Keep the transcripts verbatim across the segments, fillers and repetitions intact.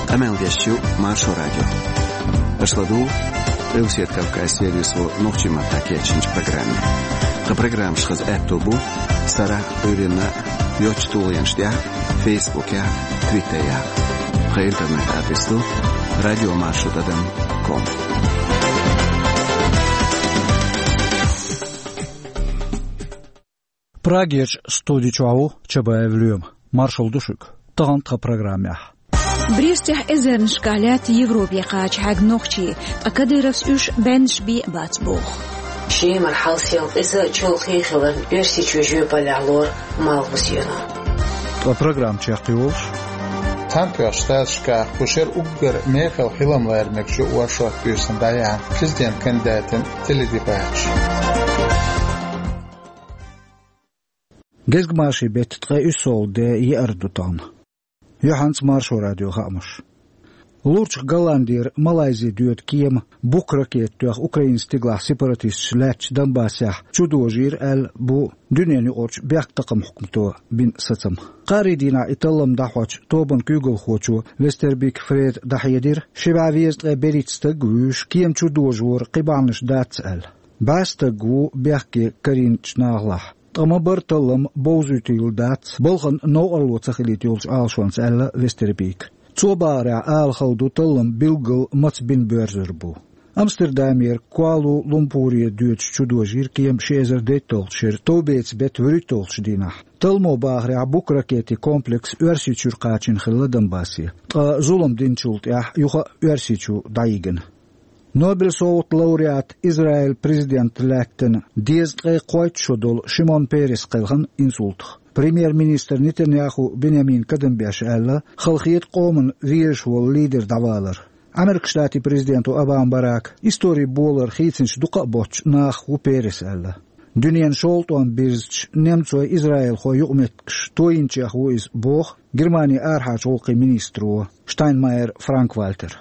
Къамел деш ю Маршо радио. Аша ладугӀу Къилбаседа Кавказ сервисо нохчийн маттахь кечйинчу программе. Тхан программаш хаза аьтто бу сарахь а, Ӏуьйранна а йоцачу тулгӀенаш тӀехь а, Фейсбукехь а, Твиттерехь а. Тхан интернет-адрес ду радио маршо тӀадам ком. Прагерчу студи чохь ву Чабаев Лоьма. Маршалла ду шуьга. Тахана тхан программехь. Брестехь эзарнашкахь лаьтта Европе кхача хьаьгна нохчий, ткъа Кадыровс уьш баьннаш бен а бац боху. Шемара хьал-сел къиза а, чолхе а хиларна, Оьрсийчоь жоьпаллехь лору Малхбузено. Ткъа программа чекхйолуш. Цхьаьнатоьхначу Штаташкахь кху шеран уггар мехала хилам лара мегаш ю оршот буьйсанна дӀаяьхьна президент кандидатан теледебаташ. Гезгмашин беттан ткъе уьссалгӀа де, еара ду тахана. Юьхьанца Маршо радион хаамаш. Лурчу Голландера Малайзи доьду кема Бук ракета тоьхна Украинан стигалахь сепаратисташ лаьттачу Донбассехь чудожийра аьлла бу дуьненаюкъарчу бехктакхаман хьукмато бина сацам. Кхаарин дийнахь и таллам дӀахьочу тобанан куьйгалхочо Вестербик Фреда дӀахьедира, ши бӀе везткъе берхӀитта стаг а вуьйш, кема чудожоран кхин бахьанаш дац аьлла. БӀе стаг ву бехке карийначу нахалахь. Ткъа ма-барра таллам бовзуьйтийла дац, балхана новкъарло ца хилийта йолчу Ӏалашонца, аьлла Вестербика. Цо бахарехь, ала хала ду таллам билггал маца бина боьрзур бу. Амстердамера Куала-Лумпуре доьдуш чудожийра кема ши эзар дейтталгӀачу шеран товбецан беттан вуьрхӀитталгӀачу дийнахь. Талламо бахарехь, Бук ракетийн комплекс Оьрсийчуьра кхачийна хилла Донбассе, ткъа зулам динчул тӀаьхьа юха а Оьрсийчу дӀайигна. Нобелан совгӀатан лауреат, Израилан президент лаьттина дезткъе кхойтта шо долу Шимон Перес кхелхина инсультах. Премьер-министр Нетаньяху Биньямина кадам беш аьлла, халахета къоманна везаш волу лидер дӀавалар. Американ Штатийн президента Обама Барака историн болар хийцинчу дукха а боцчу нахах ву Перес аьлла. Дуьненан шолгӀа тӀом бирзича, немцойн, израилхойн юкъаметтигаш тойинчех ву иза, боху Германин арахьарчу гӀуллакхийн министро Штайнмайер Франк-Вальтера.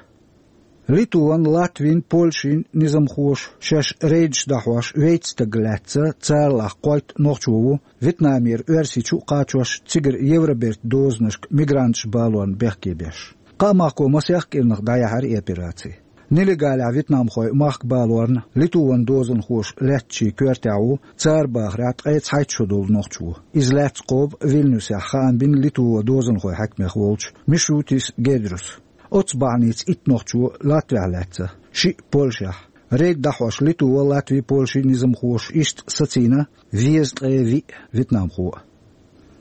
Литван, Латвин, Польшин низамхоша шаьш рейдаш дӀахьош вейтта стаг лаьцна, царалахь кхойтта нохчо ву, Вьетнамера Оьрсийчу а кхачош, цигара Евробертан дозанашка мигранташ балорна бехке беш. Кхаа махко масех кӀирнах дӀаяьхьира и операци. Нелегалехь вьетнамхой махка балорна Литван дозанхоша лаьттачийн коьртехь ву, цара бахарехь, ткъе цхьайтта шо долу нохчо. Иза лаьцна кхобу Вильнюсехь, хаам бина Литван дозанхойн хьаькамех волчу Мишутис Гедрюса. Оццу бахьаница итт нохчо Латвехь лаьцна, шиъ Польшехь. Рейд дӀахьош Литва, Латви, Польшин низамхоша иштта сацийна везткъе виъ вьетнамхо а.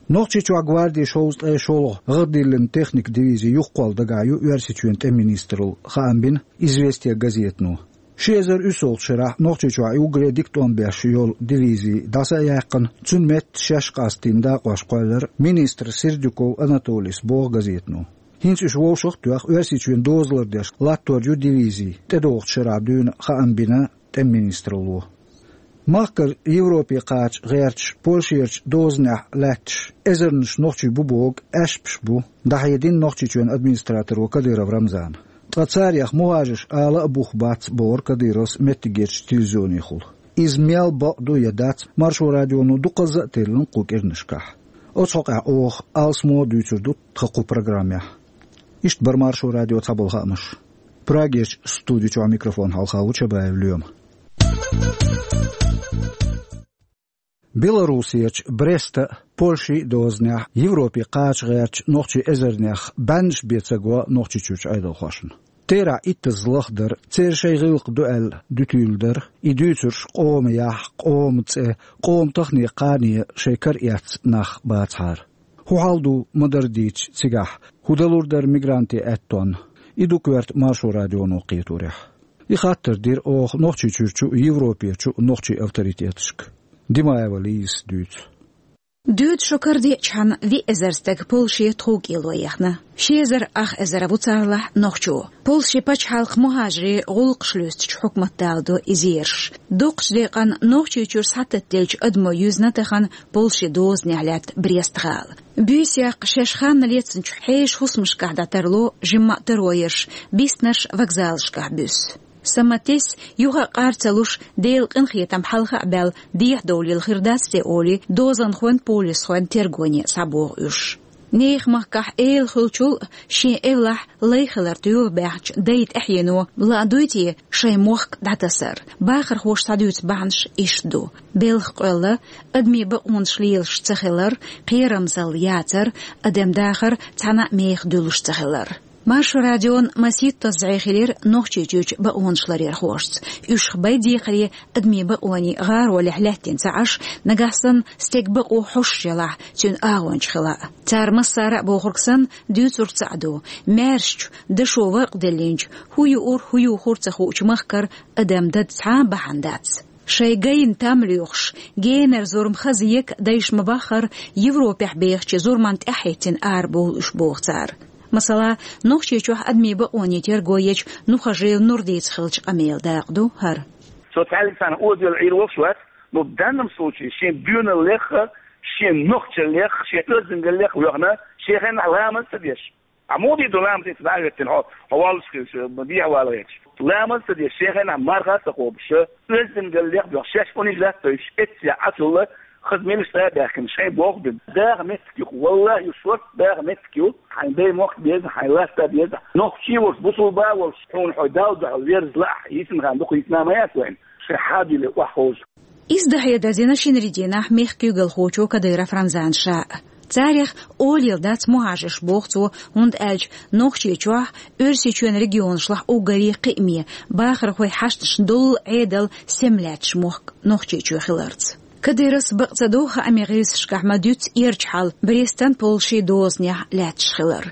Нохчийчохь гвардин шовзткъе шолгӀа гӀаддиллина техникан дивизи юхакхолла дагахь ю Оьрсийчоьнан тӀеман министралла, хаам бина «Известия» газетано. Ши эзар уьссалгӀачу шарахь Нохчийчохь и уггаре дика тӀом беш йолу дивизи дӀаса а яьккхина, цуьнан метта шаьш къастийна дакъош кхоьллира министр Сердюков Анатолийс, боху газетано. ХӀинца уьш вовшах а тоьхна, Оьрсийчоьнан дозалла деш латтор ю дивизи, тӀедогӀучу шарахь дуьйна, хаам бина тӀеман министралло. Махкара Европе кхача гӀерташ, Польшерчу дозанехь лаьтташ эзарнаш нохчий бу бохург аьшпаш бу, дӀахьедина Нохчийчоьнан администраторо Кадыров Рамзана. Ткъа царех мухӀажарш ала а бух бац, бохура Кадыровс меттигерчу телевизионехула. Иза мел бакъ ду я дац, Маршо радионо дукхазза а теллина кху кӀирнашкахь. Оцу хьокъехь оха алсамо а дуьйцур ду тхан кху программехь. Иштта бара Маршо радион цхьаболу хаамаш. Прагерчу студи чохь микрофон хьалха ву Чабаев Лоьма. Белоруссерчу Бреста а, Польшин а дозанехь Европе кхача гӀертачу нохчийн эзарнех баьннаш бен ца го Нохчийчуьрчу Ӏедалхошна. Терахь иттазза лахдар, церан шайн гӀиллакх ду аьлла дуьтийла дар, и дуьйцурш къоман яхь, къоман цӀе, къоман тахане, кхане шайн кара эцна нах бацахьара. ХӀун хьал ду ма-дарра дийцича цигахь, хӀун далур дара мигрантийн аьттонна? И ду коьрта Маршо радионо кхеторехь. И хаттар дира оха Нохчийчуьрчу а, Европерчу а нохчийн авторитеташка. Димаева Лизас дуьйцу. Дуьйцу шо карадеъчхьана виъ эзар стаг Польше тховкӀело яхна. Ши эзар ах эзар ву царалахь нохчо. Польше пачхьалкх мухӀажарийн гӀуллакхаш лоьстучу хьукмат даладо и зераш. Дукхачу декъана Нохчийчуьра схьататтаделлачу адамо юьзна тахана Польше дозанехь лаьтта Брест-гӀала. Буьйса яккха шаьш ханна лецначу хьешан хӀусамашкахь дӀатарло жимма а тароерш, биснарш вокзалашкахь буьссу. Сан ма-тесна, юха а къар ца луш, Делан къинхетам хьалха а баьлла, дехьадовлийла хир дац те олий, дозанхойн, полисхойн тергоне схьабоху уьш. Нехан махкахь эла хуьлучул а шен эвлахь лай хилар туьйла баьхначу дайн тӀаьхьено ладугӀуй те шайн мохк дӀатасар? Бахархоша схьадуьйцу бахьанаш иштта ду: белхан къоьлла, адамийн бакъонаш лелаш ца хилар, кхерамзалла яцар, адам дахар цхьана а мехах дуьллуш ца хилар. Маршо радион масийтта зӀе хилира Нохчийчуьрчу бакъонашларъярхошца. Уьш хабар декхаре адамийн бакъонийн гӀаролехь лаьттина ца Ӏаш, нагахь санна стеган бакъо хьош елахь, цуьнан агӀонча хила а. Цара массара а бохург санна, дуьйцург цхьаъ ду: маьршачу, дашо варкъ диллинчу, хӀун юур, хӀун юхур ца хуучу махкара адам дада цхьа а бахьана дац. Шайн гайна там лоьхуш, генара зурма хаза ека дайша ма-баххара, Европехь бехачу зурманна тӀаьхьахӀиттина арабовлу уьш, боху цара. Масала, Нохчийчохь адамийн бакъонийн терго ечу Нухажиев Нурдица хиллачу къамелан дакъа ду хӀара. Со цхьаьллиг санна оза йолу Ӏийр волуш вац, но в данном случае шен доьналлех а, шен нохчаллех а, шен оьздангаллех а воьхна, шен хенахь ламаз ца деш. Ахьа муха дийр ду ламаз, иза дӀа а хӀоьттина, хьо, хьо воллуш хилча, ма дехьа вала гӀерташ. Ламаз ца деш, шен хенахь марха а ца кхобуш, оьздангаллех а боьхна, шаьш униж латтойш, эццехь Ӏа цулла, хаза мелаш цӀа а баьхкина, шайн боху бина. Даха меттиг ю-кх, валлахӀи, ю шорта даха меттиг ю, хьайн даймохк а беза, хьайн латта а беза. Нохчи а волуш, бусулба а волуш, хьуна хьо Далла дуьхьал верза лаахь, йисина хан дукха йисина ма яц вайна, шайн хьадуьйле охьаховза. Иза дӀахьедар дина шинарин дийнахь мехкан куьйгалхочо Кадыров Рамзана ша а. Царех олийла дац мухӀажарш, боху цо, хӀунда аьлча Нохчийчохь, Оьрсийчоьнан регионашлахь уггаре кхиаме, бахархойн хьашташна долу Ӏедал сема лаьтташ мохк Нохчийчоь хиларца. Кадыровс бакъ ца до хаамийн гӀирсашкахь ма-дуьйццу эрча хьал Брестан, Польшин дозанехь лаьтташ хилар.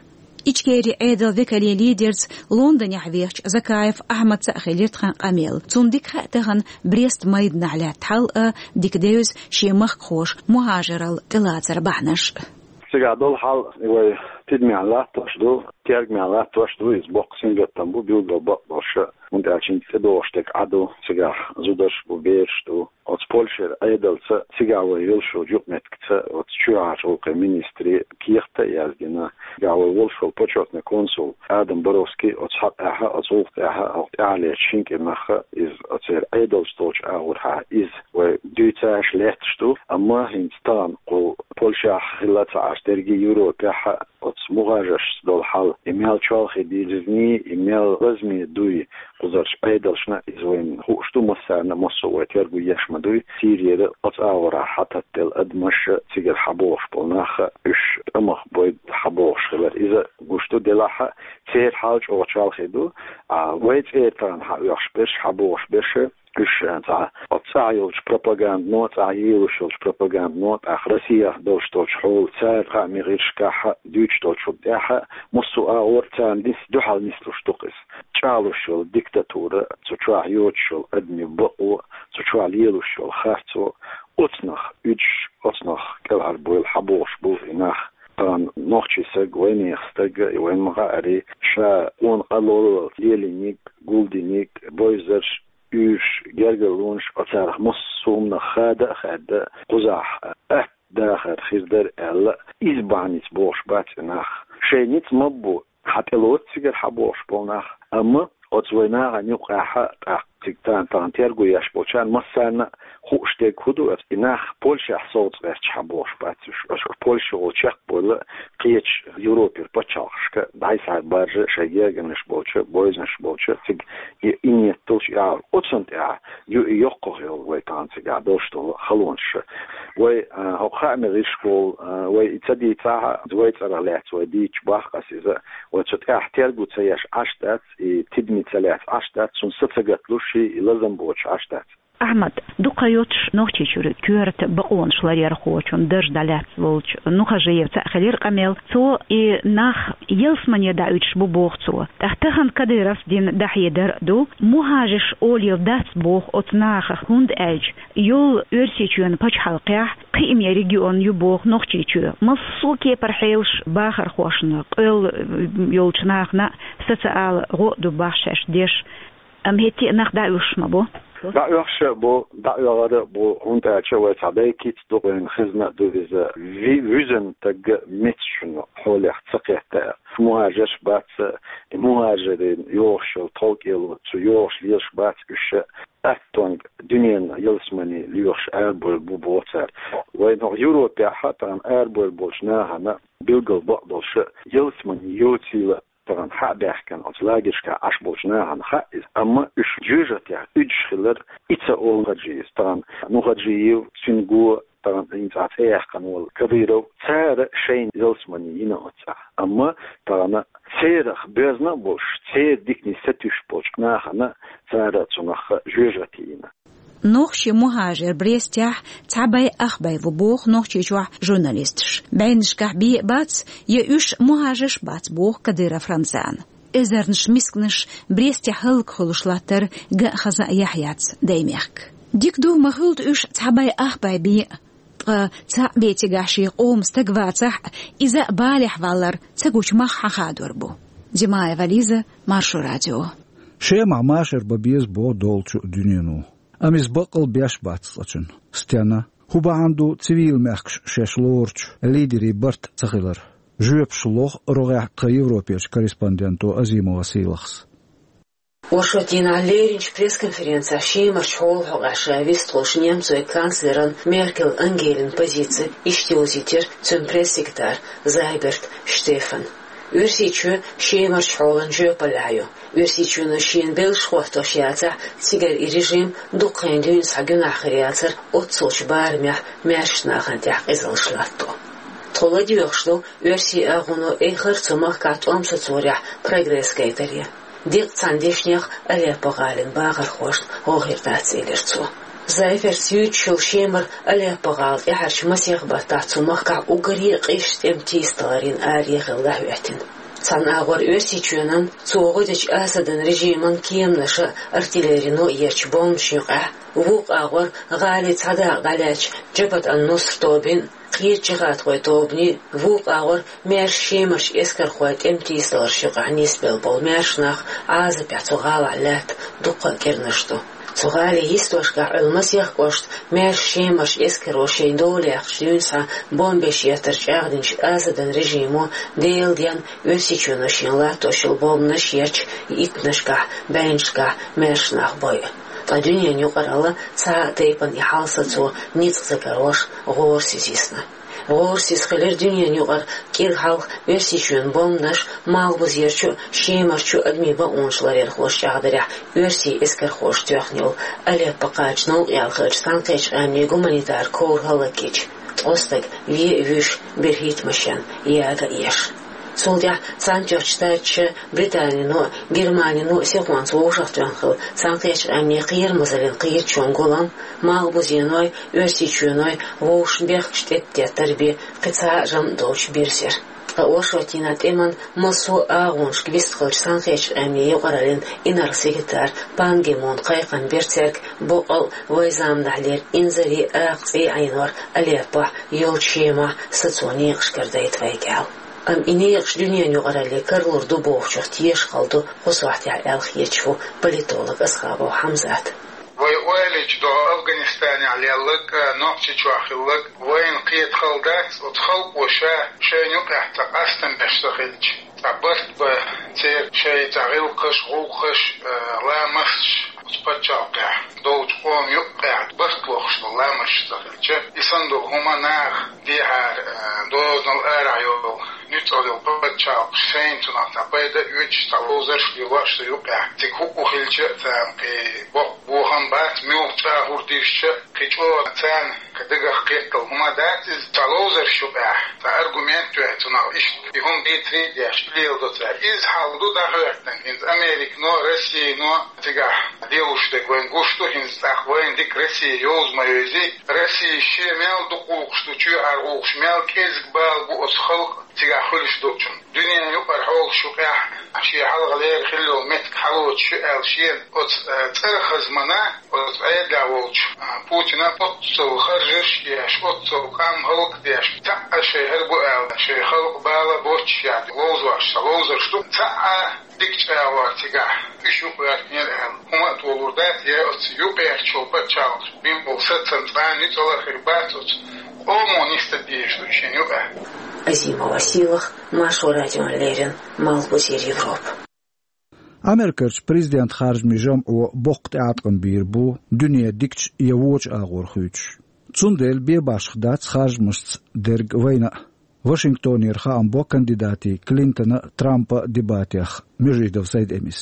Ичкерин Ӏедалан векалийн лидерца Лондонехь вехачу Закаев Ахьмадца а хилира тхан къамел. Цунна дика хаьа тахана Брест майданахь лаьтта хьал а, дика девза шен махкахоша мухӀажаралла тӀелацаран бахьанаш а. Цигахь долу хьал вай тидамехь латтош ду, тергамехь латтош ду, иза боккха сингаттам бу, билггал бакъ долуш, хӀунда аьлча хӀинца тӀедогӀуш дерг Ӏа ду, цигахь зударш бу, бераш ду. Оцу Польшера Ӏедалца, цигахь вай йолуш йолчу юкъаметтигца, оцу чоьхьарчу гӀуллакхийн министре кехат а яздина. Цигахь вай волуш волу почётный консул Адам Боровский оцу хьакъехь а, оцу гӀуллакх тӀехь а, хӀокху тӀаьхьалерчу шина кӀирнахь а иза оцеран Ӏедалца долчу агӀорхьа иза вай дуьйцуш лаьтташ ду. Амма хӀинца тахана кху Польшехь хилла ца Ӏаш, дерриге Европехь а оцу мухӀажаршца долу хьал, и мел чолхе дирзиний, и мел лазаме дуй, кхузарчу Ӏедалшна иза вайна хууш ду, массарна а, массо а вай терго еш ма дуй. Сирера оцу агӀорахь хьататтаделла адамаш а, цигара хьабогӀуш болу нах а, уьш тӀамах бойда хьабогӀуш хилар иза гуш ду. Делахь а церан хьал чӀогӀа чолхе ду. А вай цӀера тахана хьаоьхуш берш, хьабогӀуш берш а, уьш, а, цхьа оцу цӀахь йолчу пропагандано, цӀахь елош йолчу пропагандано, тӀаккха Россехь долуш долчу хьоло, цара хаамийн гӀирсашкахь а дуьйцуш долчунна тӀехь а, массо а агӀор царна нис-, дуьхьал нислуш ду-кх иза. ЧӀагӀлуш йолу диктатура, цу чохь йоцуш йолу адамийн бакъо, цу чохь лелош йолу харцо, оцунах уьдуш, оцунах кӀелхьарбойла хьабогӀуш бу и нах. Тахана нохчийн стаг, вайнехан стаг, и вайна ма-хаъара, ша къона къа лолла лелийнарг, гулдинарг, бевзарш, уьйраш, гергарлонаш, оцарах массо а хӀуманах хада а хаьдда, кхузахь атта дахар хир дара аьлла, иза бахьаница бохуш бац и нах. Шайн ницкъ ма-бу, хьан тӀелоцу цигара хьабогӀуш болу нах, амма оцу вайн нахана юкъахь а тӀаккха цига тахана, тахана терго еш болчарна массарна а хууш дерг хӀун ду, и нах Польшехь совца гӀерташ хьабогӀуш бац уьш. Аша Польша волу чекхбойла кхечу Европера пачхьалкхашка дӀасхьа баржа шайн гергарнаш болчу, бевзанаш болчу, цига и, и ниет долуш и агӀор. Оцунна тӀехь ю и йоккхах йолу вай тахана цигахь долуш долу халонаш. Вай, а, хӀокху хаамийн гӀирсашкахула, а, вай и ца дийцахь а, вай цӀарах лаьцна вай дийцча боху ас иза, вай цу тӀехь терго ца еш Ӏаш дац, и тидаме ца лаьцна Ӏаш дац, цунна са ца гаталуш и, и лазам боцуш Ӏаш дац. Ахьмад, дукха йоцуш Нохчийчуьра коьрта бакъонаш ларъярхочун дарж дӀалаьцна волчу Нухажиевца а хилира къамел. Цо и нах ялсамане дӀауьдуш бу, боху цо. ТӀаккха тахана Кадыровс дина дӀахьедар а ду, мухӀажарш олийла дац боху оцу нахах, хӀунда аьлча йолу Оьрсийчоьнан пачхьалкхехь кхиаме регион ю боху Нохчийчоь. Массо а кепара хьелаш бахархошна, къоьлла йолчу нахана а, са ца ала, гӀо а ду боху шаьш деш. Амма хӀетте а нах дӀауьллуш ма бу. ДӀаоьхуш а бу, дӀаоьгӀар а бу, хӀунда аьлча вай цхьа дай кица ду, вайна хезна а ду иза. Ви-, вуьззина стаг меца шуна хьолех ца кхетта. МухӀажарш бац, и мухӀажарийн йогӀуш йолу тховкӀело, цу йогӀуш лелаш бац уьш а. Аттонга дуьненан ялсамане лоьхуш арабевлла бу боху цара. Вайн хӀокху Европехь а тахана арабевлла болчу нахана билггал бакъдолуш а, ялсамане йоцийла тахана хьа а баьхкина, оцу лагершкахь Ӏаш болчу нахана хаьа иза. Амма уьш жоьжахатех уьдуш хилар, и ца олу Нухаджиевс, тахана Нухаджиев, цуьнан го, тахана хӀинца цӀе яьккхина волу Кадыров, цара шайна ялсамане йина оццахь. Амма тахана церах боьзна а болуш, церан дикане сатуьйсуш болчу нахана цара цунах жоьжахати йина. Нохчийн мухӀажар Брестехь цхьа бӀе ах бӀе ву боху Нохчийчохь журналисташ. БӀеннашкахь бен а бац, я уьш мухӀажарш а бац, боху Кадыров Рамзана. Эзарнаш мисканаш Брестехь хӀаллакьхуьлуш латтар ган а хаза а яхь яц даймехка. Дика ду, ма хуьлда уьш цхьа бӀе ах бӀе бен а, ткъа цхьаъ бен цигахь шен къоман стаг вацахь а, иза а балехь валар ца гучу мах хьан хадор бу. Димаева Лиза, Маршо радио. Шемахь машар бан беза боху долчу дуьнено. Амма иза баккъал беш бац цкъачунна. Стенна? ХӀун бахьана ду цивил мехкаш шаьш лоручу лидерийн барт ца хилар? Жоьпаш лоху рогӀехь тхан Европерчу корреспонденто Азимова Сийлахьас. Оршот дийнахь леринчу пресс-конференцехь Шемарчу хьолан хьокъехь ша вистхуьлуш немцойн канцлеран Меркель Ангелин позици иштта йовзийтира цуьнан пресс-секретарь Зайберт Штефана. Оьрсийчоь Шемарчу хьолан жоьпаллехь ю. Оьрсийчоьно шена белш хӀоттош яцахь, цигара и режим дукха хенахь дуьйна схьа гуьнахь хир яцара оццулчу барамехь маьршачу нахана тӀехь къизаллаш латто. Тхо ладоьгӀуш ду оьрсийн агӀоно эххар а цу махкахь тӀом сацорехь прогресс гайтаре. Деккъа цхьана дешнех Алеппо-гӀалин бахархошна гӀо хир дац, элира цо. Зайбертс юьйцуш йолу Шемара Алеппо-гӀала тӀаьхьарчу масех баттахь цу махкахь уггаре а къиза тӀеман тийсадаларийн аре хилла дӀахӀоьттина. Цхьана агӀор Оьрсийчоьнан, цо гӀо дечу Асадан режиман кеманаша а, артиллерино а ечу бомбанашна юкъахь, вукху агӀор гӀалин цхьа дакъа дӀалаьцначу Джабхат ан-Нусра тобин а, кхечу джихӀадхойн тобанийн а, вукху агӀор маьрша Шемарчу эскархойн тӀеман тийсадаларш юкъахь нисбелла болу маьрша нах Ӏазапехь цу гӀалахь лаьтта дуккха а кӀирнаш ду. Цу гӀалин йистошкахь Ӏуьллу масех кӀошта маьрша Шемарчу эскаро шайн дола яьккхича дуьйна схьа бомбеш еттар чӀагӀдинчу Асадан режимо Делан денна Оьрсийчоьно шена латтош йолу бомбанаш ечу иттаннашкахь, бӀеннашкахь маьрша нах бойу. Ткъа дуьненан юкъаралла цхьа а тайпана и хьал сацо ницкъ ца карош гӀорасиз йисна. ГӀорасиз хилира дуьненан юкъара кӀира хьалха Оьрсийчоьнан бомбанаш Малхбузерчу а, Шемарчу а адамийн бакъонаш ларъярхоша чӀагӀдарехь, оьрсийн эскархоша тоьхна йолу Алеппо кхача новкъа яьлла хиллачу Цхьаьнакхеттачу Къаьмнийн гуманитар ковра хӀаллакйича, ткъа стаг вен а вуьйш, берхӀитта машен яга а еш. Цул тӀаьхьа Цхьаьнатоьхначу Штаташа, Британино а, Германино а сихонца вовшахтоьхна хилла Цхьаьнакхеттачу Къаьмнийн кхерамазаллин кхеташонан гулам, Малхбузеной, Оьрсийчоьной вовшашна бехкаш тӀеттеттар бен кхин цхьа а жамӀ долчу бирзира. Ткъа оршотдийнахь тӀеман массо а агӀонашка вистхиллачу Цхьаьнакхеттачу Къаьмнийн юкъараллин инарла-секретарь Пан Ги Мун кхайкхам бира цаьрга, боккъал а вайн заманахьлера инзаре а акха цӀий Ӏенор Алеппохь, йолчу Шемахь сацо некъашкара дайта вайга аьлла. Амма и некъаш дуьненан юкъаралле каралур ду бохучух тешаш хала ду кху сохьтехь аьлла хеташ ву политолог Асхабов Хьамзат. Вай ойла йича, догӀу Афганистанехь лелларг а, Нохчийчохь хилларг а вайна кхета хала дац, оцу халкъо ша шайна юкъахь цхьа къастам беш ца хилча, цхьа барт бан церан шайн цхьа гӀиллакхаш, гӀуллакхаш, а, ламасташ оцу пачхьалкхехь долчу къоман юкъахь барт лохуш долу ламасташ ца хилча, и санна долу хӀума наха дехьара, а, дозанал арахь йолу нуьцкъала йолу пачхьалкхаш шайна цунах цхьа пайда а оьцуш, цхьа ловзарш а лелош цу юкъахь. Цига хӀуъу хилча а, царна кхин боккха бохам бац, муьлхха чӀагӀо хӀума дийшча а, кхин чӀогӀа царна кхин дагах кхеттал хӀума дац иза. Цхьа ловзарш юкъахь цхьа аргумент тоьхна цунах, иштта и хӀума дийцаре а деш, леладо цара. Иза хьал ду дӀахӀоьттина хӀинца Американо, Россино, цигахь лелош дерг вайна гуш ду, хӀинца тӀаккха вайна дика Россия йовза ма йовзий. Россия шен мел дукха гӀуллакхаш ду, чоьхьара гӀуллакхаш, мел кӀезиг бала бу оцу халкъан цигахь хуьлуш долчун. Дуьненан юкъара хьолаш юкъехь шен хьалха лерина хилла йолу меттиг хьалоцуш ю аьлла шена оцу, э, цӀарах хазмана, оцу Ӏедалехь волчу, э, Путина оццул харжаш еш, оццул къам хӀаллакдеш, цхьаъ шайн хӀара бу аьлла, шайн халкъ бала боццуш яц, ловзош, сан ловзарш ду, цхьаъ дика чӀагӀор цигахь уьш юкъагӀертинера аьлла. ХӀума а толур дац, я оцу юкъагӀертачу пачхьалкхаша бина болу сацам цкъа а ницкъ а хир бац оцу къомо нисдан дезаш ду шен юкъа. Азимова Сийлах, Маршо радиона леррина, Малхбузера Европа. Америкерчу президентан харжамийн жамӀо боккха тӀеӀаткъам бийр бу дуьне дикачу я вочу агӀор хуьйцуш. Цундела бен башха дац харжамашца дерг вайна а. Вашингтонера хаам бо кандидатийн Клинтона а, Трампа а дебатех Межидов Сайд-Эмис.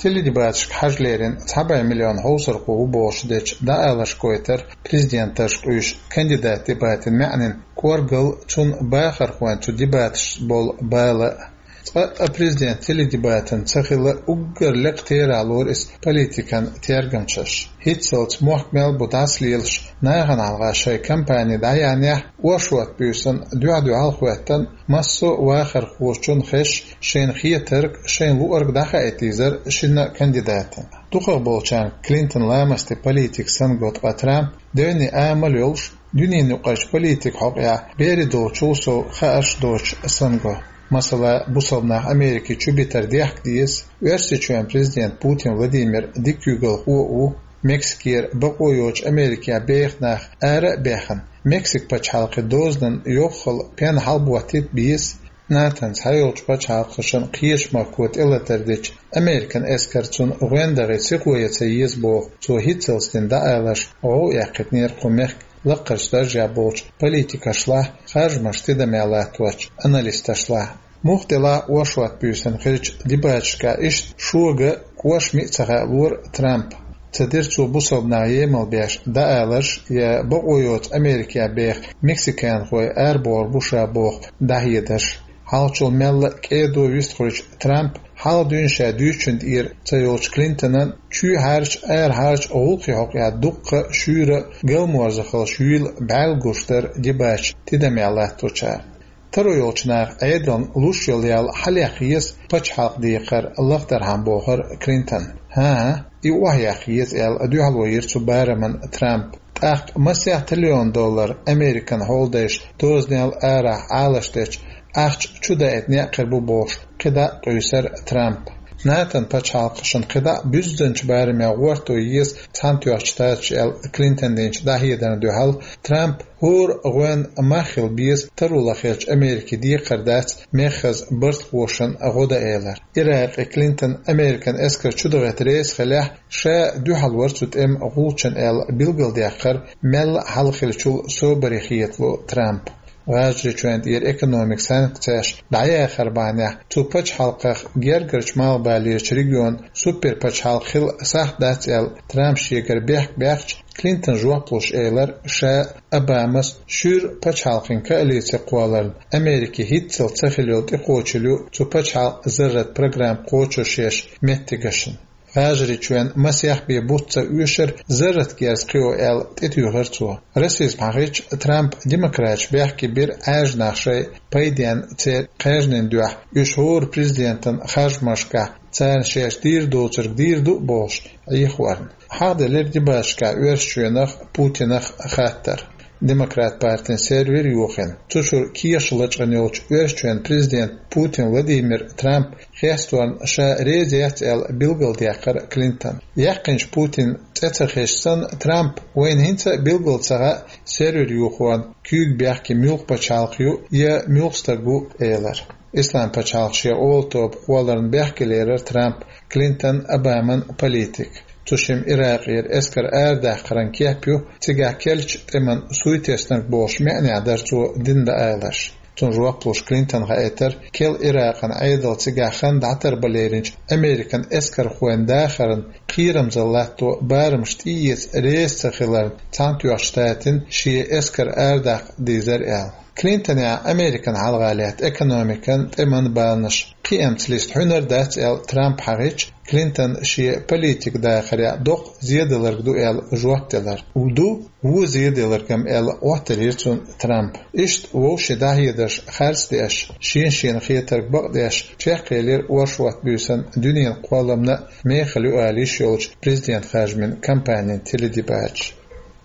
Теледебаташка хьажа лерина цхьа бӀе миллион хьовсархо ву бохуш дечу дӀаалашкахь гойтура президенташка къуьйсуш кандидатийн дебатийн маьӀнин кӀоргалла, цуьнан бахархойн цу дебаташца болу бала а. Цкъа а президентан теледебатан ца хилла уггар лекха терахь лору иза политикан тергамчаша. ХӀинццалц мохк мел бу дӀасалелаш, нахана хьалха шайн кампани дӀаяьхьнехь, оршот буьйсанна дуьхь-дуьхьал хӀоьттина массо а вахархочунна хезаш, шайна хетарг, шайна луург дӀахаийта дезара шинна а кандидатана. Дукхахболчарна Клинтон ламастан политик санна го, ткъа Трамп девнийн амал йолуш, дуьненан юкъарчу политикан хьокъехь берийн долчул сов хаарш доцуш санна го. Масала, бусалба нах Америки чу битар дехка деза, Оьрсийчоьнан президент Путин Владимир дика куьйгалхо а ву, Мексикера бакъо йоцуш Америкехь беха нах ара а баьхна, Мексикан пачхьалкхан дозанан йоххал пен хьалаботийта беза, НАТОн цхьайолчу пачхьалкхашна кхечу махко тӀелатар дича, Американ эскар цунна гӀоьнна дахийта сихо ян ца еза боху, цо хӀинццалц дина дӀаалаш гӀовгӀа эккхийтинера кху мехкан лакхарчу даржехь болчу политикашлахь, харжамаш тидамехь латточу аналисташлахь. Муха делахь а, оршот буьйсанна хиллачу дебаташкахь иштта шога кӀоштан миъ ца хаалора Трампа. Ца дира цо бусалба нах емал беш дӀааларш я бакъо йоцу Америкехь беха мексиканхой арабохур бу ша боху дӀахьедарш. Хьалхачул мелла а кӀеда вистхуьлучу Трампа хьалха дуьйна ша дуьйцучунна тӀера ца йолчу Клинтонан чоьхьарчу, арахьарчу гӀуллакхийн хьокъехь дуккха а шуьйра а галморзахаллаш юйла бӀаьрла гуш дара дебаташ тидамехь латточара. Таро йолчу наха Ӏедална луш йолу ял хьалаяккха еза пачхьалкхан декхар лахдархьама, бохура Клинтона. ХӀан-хӀа, и охьаяккха еза аьлла, дуьхьало йира цу барамна Трампа. ТӀаккха масех триллион доллар Американ хьолдайша дозанал арахь Ӏалашдечу ахча чу даийта некъ хир бу бохуш, кхидӀа а къуьйсура Трампа. НАТОн пачхьалкхашна кхидӀа а буьззинчу барамехь гӀортор еза Цхьаьнатоьхначу Штаташ аьлла Клинтона динчу дӀахьедарна дуьхьал, Трампа хӀора гӀоьнна мах хила беза таро лахъеллачу Америкин декхар дац меххаза бартахошна гӀо дан элира. Иракъе Клинтон Американ эскар чудахийта реза хиллехь, ша дуьхьал вара цу тӀеман гӀулчунна аьлла билгалдаьккхира мелла а хьалха хиллачул собаре хетало Трампа. ГӀажарийчоьнна тӀера экономикан санкцеш дӀаяхар бахьанехь цу пачхьалкхах гергарчу малхбалерчу регионан суперпачхьалкх хила сахьт дац аьлла, Трампа шегара бехк баьккхича, Клинтона жоп луш элира ша Обамас, шуьйра пачхьалкхийн коалици кхолларна Америкин хӀинццалц ца хилла йолу тӀекхочуш ю цу пачхьалкхан зарратан программа кхочушъеш меттигашна. ГӀажарийчоьнна масех бен бутт ца оьшура зарратан герз кхио аьлла, тӀетуьйхира цо. Расизм хьахийча, Трампа демократаш бехке бира Ӏаьржа нах шайн пайденна церан кхаьжнийн дуьхьа, уьш хӀора президентан харжамашкахь царна шаьш дийр доцург дийр ду а бохуш, Ӏехорна. Хьахделира дебаташкахь Оьрсийчоьнах а, Путинах а хаттар. Демократ партин сервер йохийна, цу чуьра кехат лачкъийна йолчу Оьрсийчоьнан президента Путин Владимира Трампа хесторна ша реза яц аьлла билгалдаьккхира Клинтона. Яьккхинчу Путина цӀе ца хезча санна, Трампа: «Вайна хӀинца а билгал ца хаьа, сервер йохорна куьйга бехке муьлха пачхьалкх ю я муьлха стаг ву», — элира. Ислам пачхьалкх шен олу тоба кхолларна бехке лерира Трампа Клинтон, Обаман политика. Цу шимма Иракъера эскар арадаккхаран кеп ю, цигахь керлачу тӀеман суй теснарг бохуш маьӀнехь дара цо дина дӀааларш. Цунна жоп луш Клинтона хаийтира, керла Иракъан Ӏедал цигахь хан дӀатарбан леринчу Американ эскархойн дахарна кхерамзалла латто барамаш тӀеэца реза ца хиларна Цхьаьнатоьхначу Штатийн шен эскар арадаккха дийзира аьлла. Клинтонехь Американ хьалха лаьтта экономикан, тӀеман баланаш кхиамца листа хьуьнар дац аьлла Трамп хьахийча, Клинтон шен политикан дахарехь доккха зеделларг ду аьлла жоп делар. Ду, вон зеделларг-м аьлла, Ӏоттаелира цунна Трампа. Иштта вовшийн дӀахьедарш харц деш, шен-шена хетарг бакъдеш, чекхъелира оршот буьйсанна дуьненан кхолламна а мехала ю ала йиш йолчу президент-харжамийн кампанин теледебаташ.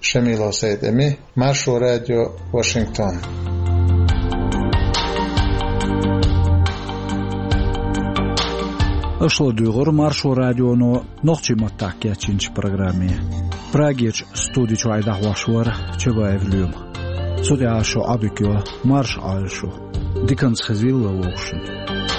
Шамилов Сайд-Эми, Маршо радио, Вашингтон. Аша ладуьйгӀира Маршо радионо нохчийн маттахь кечйинчу программе. Прагерчу студи чуьра дӀахьош вара Чабаев Лоьма. Цу тӀехь шун Ӏадика йо, марша Ӏойла шу. Диканца хезийла вовшашна.